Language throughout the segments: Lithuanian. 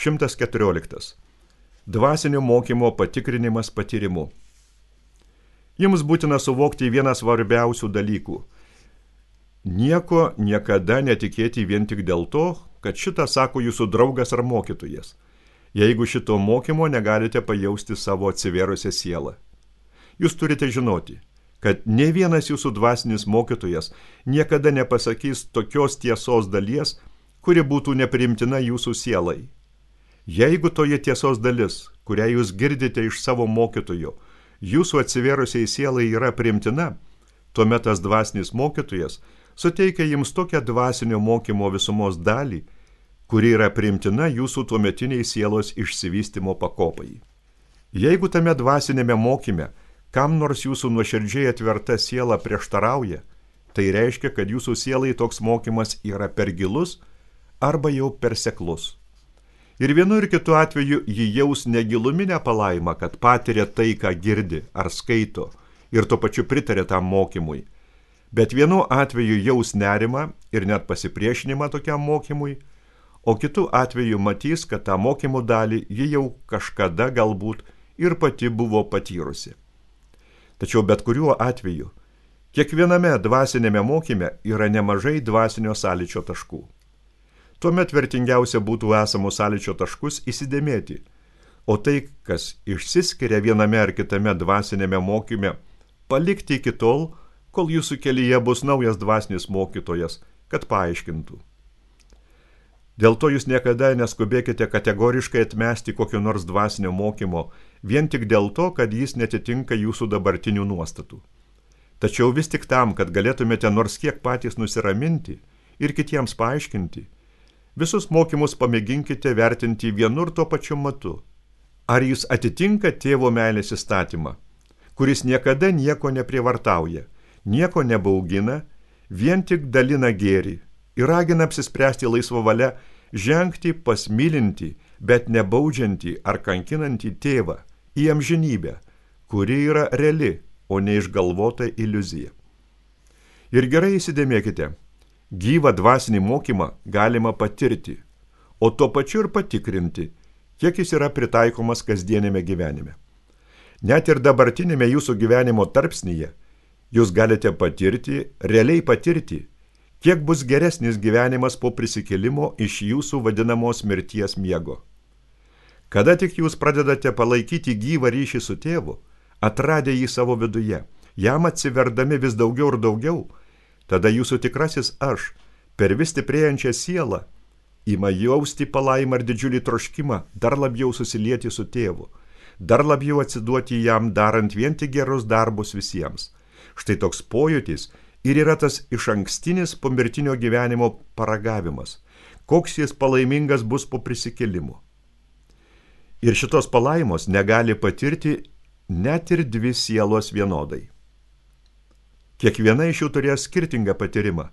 114. Dvasinio mokymo patikrinimas patyrimu. Jums būtina suvokti vieną svarbiausių dalykų. Nieko niekada netikėti vien tik dėl to, kad šitą sako jūsų draugas ar mokytojas, jeigu šito mokymo negalite pajausti savo atsivėrusią sielą. Jūs turite žinoti, kad ne vienas jūsų dvasinis mokytojas niekada nepasakys tokios tiesos dalies, kuri būtų nepriimtina jūsų sielai. Jeigu toje tiesos dalis, kurią jūs girdite iš savo mokytojo, jūsų atsivėrusiai sielai yra priimtina, tuomet tas dvasinis mokytojas suteikia jums tokią dvasinio mokymo visumos dalį, kuri yra priimtina jūsų tuometiniai sielos išsivystymo pakopai. Jeigu tame dvasinėme mokyme kam nors jūsų nuoširdžiai atverta siela prieštarauja, tai reiškia, kad jūsų sielai toks mokymas yra per gilus arba jau per seklus. Ir vienu ir kitu atveju ji jaus negiluminę palaimą, kad patiria tai, ką girdi ar skaito, ir tuo pačiu pritarė tam mokymui. Bet vienu atveju jaus nerimą ir net pasipriešinimą tokiam mokymui, o kitu atveju matys, kad tą mokymų dalį ji jau kažkada galbūt ir pati buvo patyrusi. Tačiau bet kuriuo atveju, kiekviename dvasinėme mokyme yra nemažai dvasinio sąlyčio taškų. Tuomet vertingiausia būtų esamus sąlyčio taškus įsidėmėti, o tai, kas išsiskiria viename ar kitame dvasinėme mokyme, palikti iki tol, kol jūsų kelyje bus naujas dvasinis mokytojas, kad paaiškintų. Dėl to jūs niekada neskubėkite kategoriškai atmesti kokio nors dvasinio mokymo, vien tik dėl to, kad jis netitinka jūsų dabartinių nuostatų. Tačiau vis tik tam, kad galėtumėte nors kiek patys nusiraminti ir kitiems paaiškinti, visus mokymus pamėginkite vertinti vienu ir tuo pačiu matu. Ar jis atitinka tėvo meilės įstatymą, kuris niekada nieko neprievartauja, nieko nebaugina, vien tik dalina gėrį ir ragina apsispręsti laisvą valią žengti pas mylintį, bet nebaudžiantį ar kankinantį tėvą į amžinybę, kuri yra reali, o ne išgalvota iliuzija. Ir gerai įsidėmėkite, gyvą dvasinį mokymą galima patirti, o tuo pačiu ir patikrinti, kiek jis yra pritaikomas kasdienėme gyvenime. Net ir dabartinėme jūsų gyvenimo tarpsnyje jūs galite patirti, realiai patirti, kiek bus geresnis gyvenimas po prisikėlimo iš jūsų vadinamos mirties miego. Kada tik jūs pradedate palaikyti gyvą ryšį su tėvu, atradę jį savo viduje, jam atsiverdami vis daugiau ir daugiau, tada jūsų tikrasis aš, per vis stiprėjančią sielą, ima jausti palaimą ir didžiulį troškimą dar labiau susilieti su tėvu, dar labiau atsiduoti jam darant vien tik gerus darbus visiems. Štai toks pojūtis ir yra tas išankstinis pomirtinio gyvenimo paragavimas, koks jis palaimingas bus po prisikėlimo. Ir šitos palaimos negali patirti net ir dvi sielos vienodai. Kiekviena iš jų turės skirtingą patyrimą,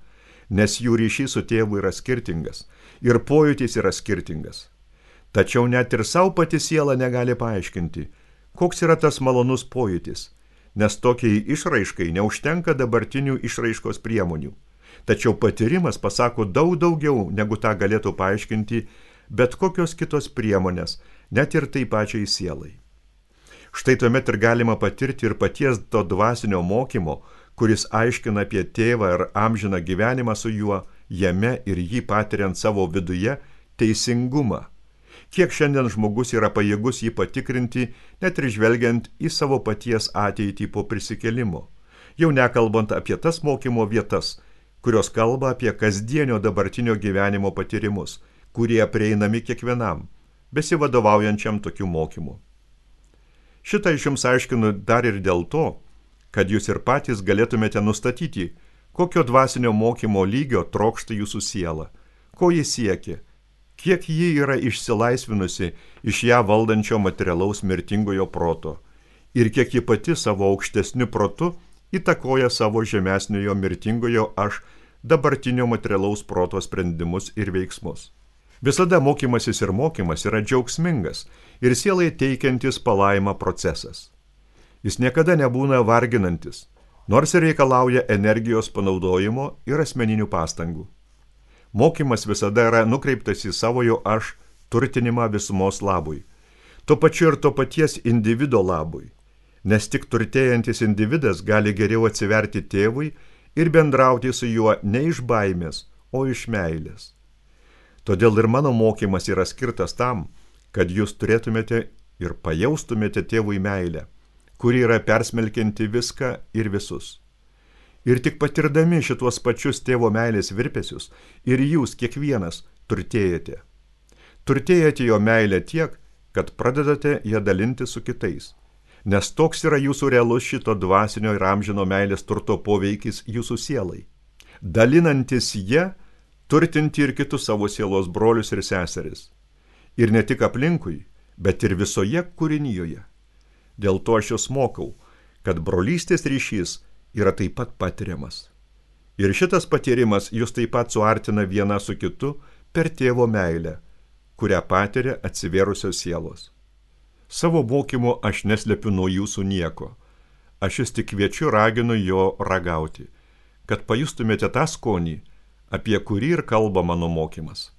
nes jų ryšys su tėvu yra skirtingas ir pojūtis yra skirtingas. Tačiau net ir savo pati siela negali paaiškinti, koks yra tas malonus pojūtis, nes tokiai išraiškai neužtenka dabartinių išraiškos priemonių. Tačiau patyrimas pasako daug daugiau, negu tą galėtų paaiškinti bet kokios kitos priemonės, net ir tai pačiai sielai. Štai tuomet ir galima patirti ir paties to dvasinio mokymo, kuris aiškina apie tėvą ir amžiną gyvenimą su juo, jame ir jį patiriant savo viduje, teisingumą. Kiek šiandien žmogus yra pajėgus jį patikrinti, net ir žvelgiant į savo paties ateitį po prisikėlimo, jau nekalbant apie tas mokymo vietas, kurios kalba apie kasdienio dabartinio gyvenimo patyrimus, kurie prieinami kiekvienam, besivadovaujančiam tokiu mokymu. Šitą iš jums aiškinu dar ir dėl to, kad jūs ir patys galėtumėte nustatyti, kokio dvasinio mokymo lygio trokšta jūsų siela, ko jis siekia, kiek ji yra išsilaisvinusi iš ją valdančio materialaus mirtingojo proto ir kiek ji pati savo aukštesniu protu įtakoja savo žemesniojo mirtingojo aš dabartinio materialaus proto sprendimus ir veiksmus. Visada mokymasis ir mokymas yra džiaugsmingas ir sielai teikiantis palaimą procesas. Jis niekada nebūna varginantis, nors ir reikalauja energijos panaudojimo ir asmeninių pastangų. Mokymas visada yra nukreiptas į savojo aš turtinimą visumos labui. Tuo pačiu ir to paties individo labui. Nes tik turtėjantis individas gali geriau atsiverti tėvui ir bendrauti su juo ne iš baimės, o iš meilės. Todėl ir mano mokymas yra skirtas tam, kad jūs turėtumėte ir pajaustumėte tėvui meilę, kuri yra persmelkianti viską ir visus. Ir tik patirdami šituos pačius tėvo meilės virpesius, ir jūs kiekvienas turtėjate. Turtėjate jo meilę tiek, kad pradedate ją dalinti su kitais. Nes toks yra jūsų realus šito dvasinio ir amžino meilės turto poveikis jūsų sielai. Dalinantis ją, turtinti ir kitus savo sielos brolius ir seseris. Ir ne tik aplinkui, bet ir visoje kūrinyjoje. Dėl to aš jūs mokau, kad brolystės ryšys yra taip pat patiriamas. Ir šitas patyrimas jūs taip pat suartina viena su kitu per tėvo meilę, kurią patiria atsivėrusios sielos. Savo mokymu aš neslepiu nuo jūsų nieko. Aš jūs tik kviečiu, raginu jo ragauti, kad pajustumėte tą skonį, apie kurį ir kalba mano mokymas.